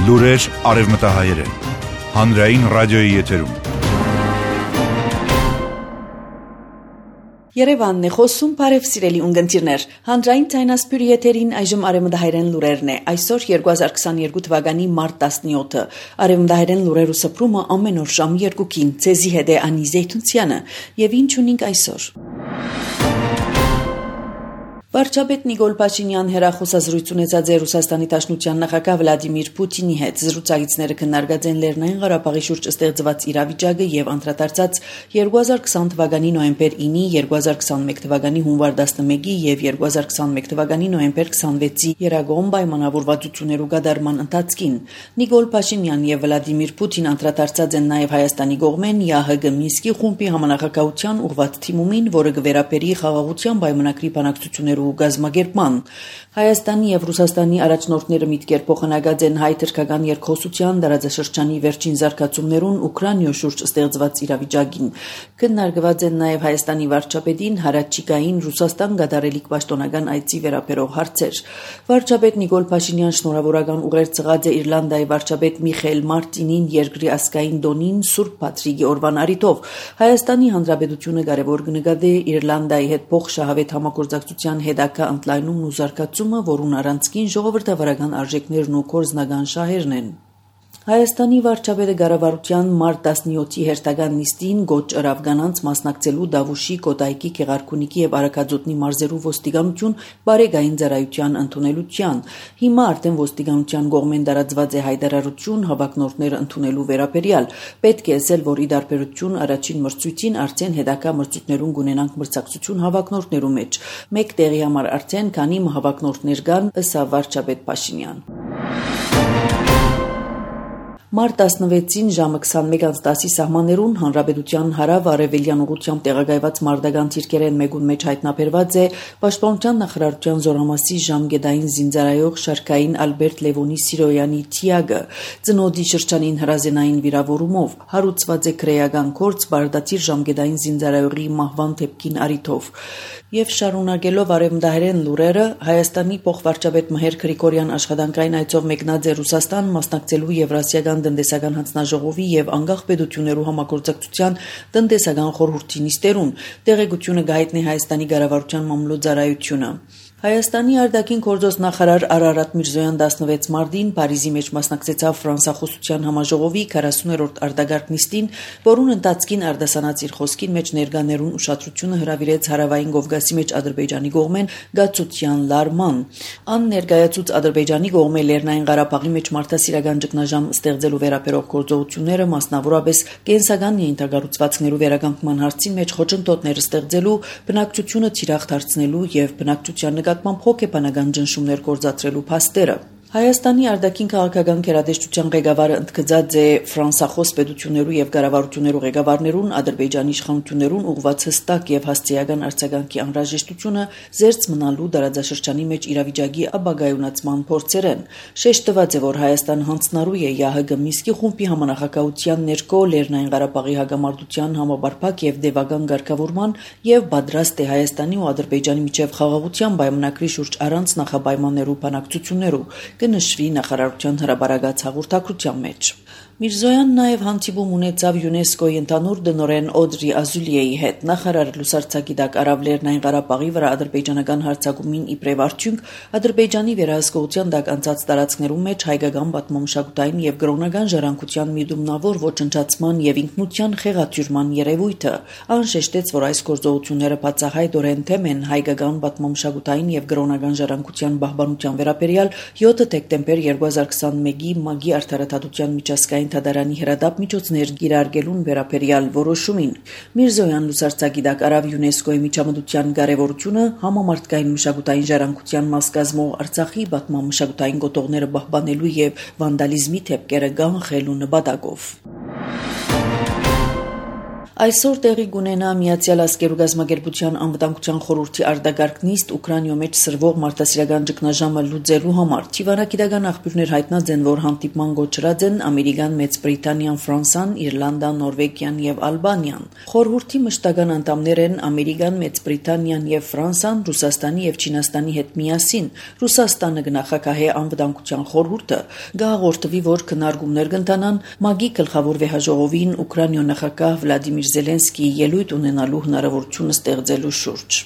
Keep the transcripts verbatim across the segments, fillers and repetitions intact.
Լուրեր արևմտահայերեն, հանրային ռադիոյի եթերում։ Երևանն է խոսում, բարև սիրելի ունգընտիրներ, հանրային ձայնասպյուրի եթերին այժմ արևմտահայերեն լուրերն է, այսօր երկու հազար քսաներկու թվականի մարտ տասնյոթը, արևմտահայերեն լուրեր ու սփռումը ամեն օր ժամ երկուքին, ցեզի հետ է Անի Զեյթունցյանը, եւ ինչ ունենք այսօր։ Վարչապետ Նիկոլ Փաշինյան հեռախոսազրույց ունեցած է Ռուսաստանի Դաշնության նախագահ Վլադիմիր Պուտինի հետ։ Զրուցակիցները քննարկած են Լեռնային Ղարաբաղի շուրջ ստեղծված իրավիճակը եւ անդրադարձած երկու հազար քսան թվականի նոյեմբեր ինի, երկու հազար քսանմեկ թվականի հունվար տասնմեկի եւ երկու հազար քսանմեկ թվականի նոյեմբեր քսանվեցի երագոմ պայմանավորվածություններու գդարման ընթացքին։ Նիկոլ Փաշինյան եւ Վլադիմիր Պուտին անդրադարձած են նաեւ Հայաստանի կողմեն ԵԱՀԳ Մինսկի խումբի համանախագահության ուղղված թիմումին, որը կվերապերի խաղաղության պայմանագրի բանակցություններ ու գազམ་ագերման։ Հայաստանի եւ Ռուսաստանի առաջնորդները միտքեր փոխանակած են հայ-թուրքական երկխոսության դարաձաշրջանի վերջին զարգացումներուն Ուկրաինայ շուրջ ստեղծված իրավիճակին։ Քննարկված են նաեւ Հայաստանի վարչապետին հարաճիկային Ռուսաստան գդարելիք պաշտոնական այցի վերաբերող հարցեր։ Վարչապետ Նիկոլ Փաշինյան շնորհավորական ուղեր ցղած է Իռլանդիայի վարչապետ Միխայել Մարտինին երկրի ասկային դոնին Սուրբ Պատրիկի օրվան առիթով։ Հայաստանի Հանրապետությունը կարևոր կնկատի Իռլանդիայի հետ փոխշահավետ համագործակցության հետագա ընդլայնումն ու զարգացումը, որուն առանցքին ժողովրդավարական արժեքներն ու կորզնական շահերն են։ Հայաստանի վարչապետը կառավարության մարտ տասնյոթի հերթական նիստին գոչ ըրավ կանանց մասնակցելու Դավուշի, Կոտայքի, Գեղարքունիքի եւ Արաքածոտնի մարզերու ոստիկանություն բարեկային ծառայության ընդունելության։ Հիմա արդեն ոստիկանության կողմեն տարածված է հայտարարություն հավակնորդները ընդունելու վերաբերյալ։ Պետք է ասել, որ ի դարբերություն առաջին մրցույթին արդեն հետագա մրցույթներուն կունենանք մրցակցություն հավակնորդներու մեջ։ Մեկ տեղի համար արդեն քանի հավակնորդներ կան, ըստ վարչապետ Փաշինյան։ Մարտ տասնվեցին ժամը քսանմեկ տասի սահմաններուն հանրապետության հարավ-արևելյան ուղղությամբ տեղակայված մարտական թիրքերեն մեկուն մեջ հայտնաբերված է Պաշտպանության նախարարության զորամասի ժամկետային զինծառայող Շարքային Ալբերտ Լևոնի Սիրոյանի Թիագը ծնոդի շրջանին հրազենային վիրավորումով հարուցված է քրեական կորց բարդատիր ժամկետային զինծառայողի մահվան դեպքին առիթով։ Եվ շարունակելով արևմտահայերեն լուրերը, Հայաստանի փոխվարչապետ Մհեր Գրիգորյան աշխատանքային այցով մեկնած է Ռուսաստան մասնակցելու Եվրասիական տնտեսական հանձնաժողովի եւ անկախ պետություններու համագործակցության տնտեսական խորհրդի նիստերուն։ Տեղեկությունը գայտնի Հայաստանի կառավարության մամլոյցարայությունը։ Հայաստանի արտաքին գործոս նախարար Արարատ Միրզոյան տասնվեց մարտին Փարիզի մեջ մասնակցեցավ ֆրանսախոսության համաժողովի քառասուներորդ արտագարկ նիստին, որուն ընթացքին արտասանած իր խոսքին մեջ ներկաներուն ուշադրությունը հրավիրեց հարավային Կովկասի մեջ Ադրբեջանի կողմեն գացության լարման։ Ան ներկայացուց Ադրբեջանի կողմը Լեռնային Ղարաբաղի մեջ մարդասիրական ճգնաժամ ստեղծելու վերաբերող գործողությունները, մասնավորապես կենսական ենթակառուցվածքներու վերականգնման հարցի մեջ խոչընդոտներ ստեղծելու, բնակչությունը թիրախ դարձնելու եւ բնակչության նկատմամբ հոգեբանական ճնշումներ գործադրելու փաստերը։ Հայաստանի արտաքին քաղաքական գերատեսչության ղեկավարը ընդգծած է ֆրանսախոս պետություններու եւ կառավարություններու ղեկավարներուն Ադրբեջանի իշխանություններուն ուղղված հստակ եւ հասցեական արձագանքի անհրաժեշտությունը զերծ մնալու դարաձաշրջանի մեջ իրավիճակի ապագայունացման փորձերեն։ Շեշտված է, որ Հայաստան հանձնարարու է ԵԱՀԳ Մինսկի խումբի համանախագահության ներքո Լեռնային Ղարաբաղի հակամարտության համապարփակ եւ դեպական ղեկավարման եւ պատրաստ է Հայաստանի ու Ադրբեջանի միջև խաղաղության պայմանագրի շուրջ առանց նախապայմաններու բանակցություններու կնշվի նախարարության հրապարակած հաղորդակցության մեջ։ Միրզոյանն նաև հանդիպում ունեցավ ՅՈՒՆԵՍԿՕ-ի ընդհանուր տնօրեն Օդրի Ազուլիեի հետ։ Նախարարը լուսարձակիդակ արավ Լեռնային Ղարաբաղի վրա ադրբեջանական հարձակումին իբրև արդյունք Ադրբեջանի վերահսկողության տակ անցած տարածքներում մեջ հայկական պատմամշակութային եւ կրոնական ժառանգության միտումնավոր ոչնչացման եւ ինքնության խեղաթյուրման երևույթը։ Ան շեշտեց, որ այս գործողությունները բացահայտորեն թեմ են հայկական պատմամշակութային եւ կրոնական ժառանգության պահպանության վերաբերյալ յոթ դեկտեմբեր երկու հազար քսանմեկի ՄԱԳ-ի արդարադատության միջազգային Թադարանի հրադապ միջոցներ կիրարկելուն վերաբերյալ որոշումին։ Միրզոյան լուսարձակիդակ արավ ՅՈՒՆԵՍԿՕ-ի միջամտության կարևորությունը համամարտկային մշակութային ժառանգության մաս կազմող Արցախի պատմամշակութային գոտողները պահպանելու եւ վանդալիզմի թեփքերը կանխելու նպատակով։ Այսօր տեղի կունենա Միացյալ Ազգերու Գազագերբության անվտանգության խորհրդի արտագաղթ նիստ Ուկրաինայում մեջ սրվող մարդասիրական ճգնաժամը լուծելու համար։ Թիվանագիտական աղբյուրներ հայտնած են, որ հանդիպման գոչրած են Ամերիկան, Մեծ Բրիտանիան, Ֆրանսան, Իռլանդան, Նորվեգիան եւ Ալբանիան։ Խորհրդի մշտական անդամներ են Ամերիկան, Մեծ Բրիտանիան եւ Ֆրանսան, Ռուսաստանի եւ Չինաստանի հետ միասին։ Ռուսաստանը կնախագահի անվտանգության խորհուրդը գաղորդվի, որ քննարկումներ կընթանան ՄԱԳ-ի գլխավոր վեհաժողովին Ուկրաինայ նախագահ Վլադիմիր Զելենսկիի ելույթ ունենալու հնարավորությունը ստեղծելու շուրջ։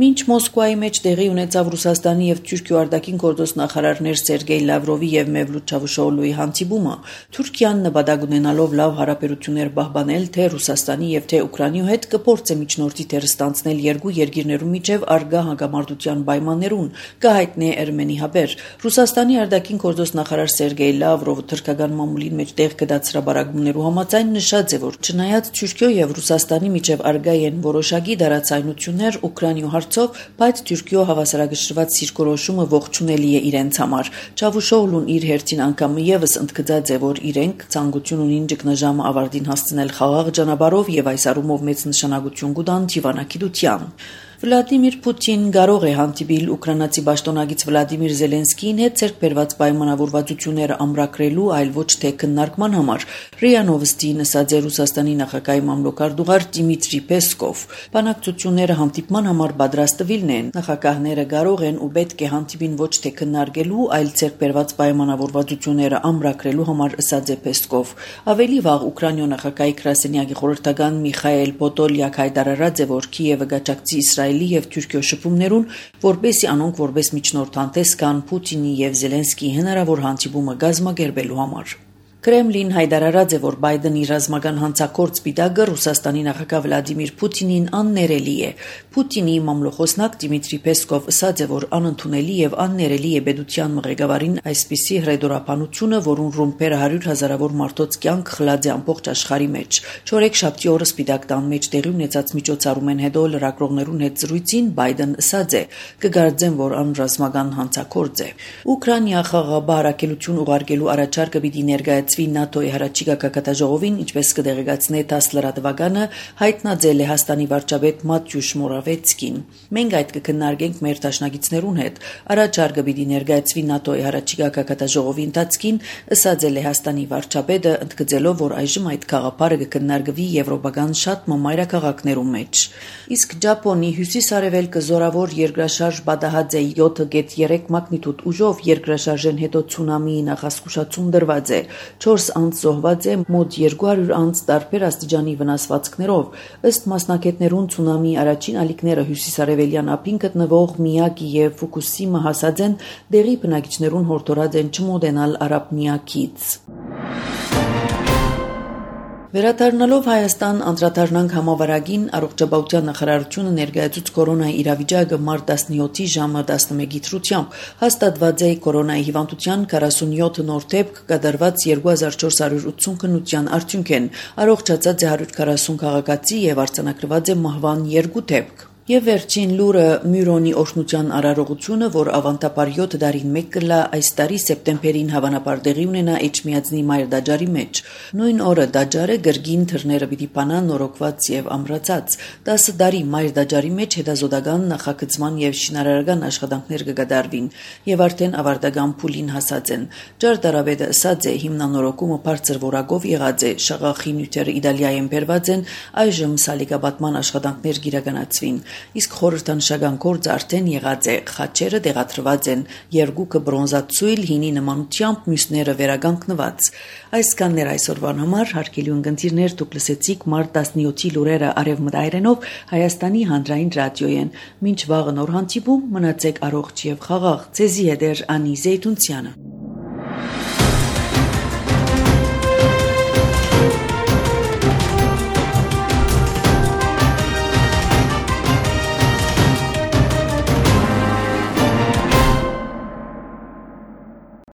Մինչ Մոսկվայի մեջ տեղի ունեցավ Ռուսաստանի եւ Թուրքիո արտաքին գործոստ նախարարներ Սերգեյ Լավրովի եւ Մևլութ Չավուշօղլուի հանդիպումը, Թուրքիան նպատակ ունենալով լավ հարաբերություններ պահպանել թե Ռուսաստանի եւ թե Ուկրաինայ հետ կփորձի միջնորդի դեր ստանձնել երկու երկիրներու միջև արգա հանգամանտության պայմաններուն, կհայտնի Էրմենի հաբեր։ Ռուսաստանի արտաքին գործոստ նախարար Սերգեյ Լավրովը թուրքական մամուլին մեջ տեղ կդած հրաբարակումներու համաձայն նշած է, որ չնայած Թուրքիո եւ Ռուսաստանի միջև արգա են որոշակի դարացայնություններ Ուկրաինայ հարցով, բայց Թուրքիո հավասարակշռված սիրկորոշումը ողջունելի է իրենց համար։ Չավուշօղլուն իր հերթին անգամ եւս ընդգծած է, որ իրենք ցանկություն ունին ճգնաժամը ավարտին հասցնել խաղաղ ճանապարհով եւ այս առումով մեծ նշանակություն կտան թիվանագիտության։ Վլադիմիր Պուտին կարող է հանդիպել ուկրաինացի պաշտոնագիծ Վլադիմիր Զելենսկիին հետ ցերկ բերված պայմանավորվածությունները ամրագրելու, այլ ոչ թե քննարկման համար։ ՌԻԱ Նովոստին ասաց է Ռուսաստանի նախագահի մամլոքարտուղար Դիմիտրի Պեսկով։ Բանակցությունները հանդիպման համար պատրաստվելն են։ Նախագահները կարող են ու պետք է հանդիպին ոչ թե քննարկելու, այլ ցերկ բերված պայմանավորվածությունները ամրագրելու համար, ասաց է Պեսկով։ Ավելի վաղ Ուկրաինայ նախագահի գրասենյակի խորհրդական Միխայել Պոտոլյակ հայտարարած է, որ Կիևը գաճակցի Իսրայելի եւ Թուրքիո շփումներուն, որպեսզի անոնք որպես միջնորդ հանդես գան Պուտինի եւ Զելենսկիի հնարավոր հանդիպումը կազմակերպելու համար։ Կրեմլին հայտարարած է, որ Բայդենի ռազմական հանցագործ պիտակը Ռուսաստանի նախագահ Վլադիմիր Պուտինին աններելի է։ Պուտինի մամլոխոսնակ Դիմիտրի Պեսկով ասաց է, որ անընդունելի եւ աններելի է պետության մղեկավարին այսպիսի հրեդորապանությունը, որուն ռումբերը հարյուր հազարավոր մարդոց կյանք խլած է ամբողջ աշխարհի մեջ։ Չորեքշաբթի օրը Սպիտակ տան մեջ տեղի ունեցած միջոցառումեն հետո լրագրողներուն հետ զրույցին Բայդեն ասաց է. «Կգարձեմ, որ անրազմական հանցագործ է»։ Ուկրաինա խաղաղաբարակելություն ուղարկելու առաջարկը պիտի ներկայացվի ՆԱՏՕ-ի հրաչիկա կակատաժողովին, ինչպես կդեղեկացնե տասը լրատվականը, հայտնած է Լեհաստանի վարչապետ Մատյուշ Մորավեցկին։ Մենք այդ կքննարկենք մեր դաշնակիցներուն հետ։ Առաջարկը պիտի ներկայացվի ՆԱՏՕ-ի հրաչիկա կակատաժողովի ընթացքին, ասաց է Լեհաստանի վարչապետը, ընդգծելով, որ այժմ այդ գաղափարը կքննարկվի եվրոպական շատ մայրաքաղաքներու մեջ։ Իսկ Ճապոնի հյուսիս-արևելքը զորավոր երկրաշարժ պատահած է յոթ կետ երեք մագնիտուդ ուժով, երկրաշարժեն հետո ցունամիի նախազգուշացում դրված է։ Չորս անձ զոհված է, մոտ երկու հարյուր անձ տարբեր աստիճանի վնասվածքներով։ Ըստ մասնագետներուն ցունամիի առաջին ալիքները հյուսիսարևելյան ափին գտնվող Միյագի եւ Ֆուկուսիմա հասած են, դեղի բնակիչներուն հորդորած են չմոտենալ արաբ միակից։ Վերադառնալով Հայաստան անդրադառնանք համավարակին, առողջապահության նախարարությունը ներկայացուց կորոնայի իրավիճակը մարտ տասնյոթի ժամը տասնմեկի դրությամբ։ Հաստատված է կորոնայի հիվանդության քառասունյոթ նոր դեպք, կատարված երկու հազար չորս հարյուր ութսուն քննության արդյունք են։ Առողջացած է հարյուր քառասուն քաղաքացի եւ արձանագրված է մահվան երկու դեպք։ Եվ վերջին լուրը Մյուրոնի օրհնության արարողությունը, որ ավանդաբար յոթ դարին մեկ կլա այս տարի սեպտեմբերին հավանաբար տեղի ունենա Էջմիածնի մայր դաջարի մեջ։ Նույն օրը դաջարը գրգին թռները պիտի բանան նորոգված եւ ամրացած։ տասը դարի մայր դաջարի մեջ հետազոտական նախագծման եւ շինարարական աշխատանքներ կկատարվին եւ արդեն ավարտական փուլին հասած են։ Ճարտարապետը ասաց է, հիմնանորոգումը բարձր որակով եղած է, շաղախի նյութերը Իտալիայեն բերված են, այժմ սալիկապատման աշխատանքներ կիրականացվին։ Իսկ խորհրդանշական գործը արդեն եղած է, խաչերը տեղադրված են, երկուքը բրոնզացույլ հինի նմանությամբ, մյուսները վերականգնված։ Այսքանն էր այսօրվան համար, հարգելի ունկնդիրներ, դուք լսեցիք մարտ տասնյոթի լուրերը արևմտայերենով Հայաստանի հանրային ռադիոյեն։ Մինչ վաղը նոր հանդիպում, մնացեք առողջ եւ խաղաղ։ Ձեզի հետ էր Անի Զեյթունցյանը։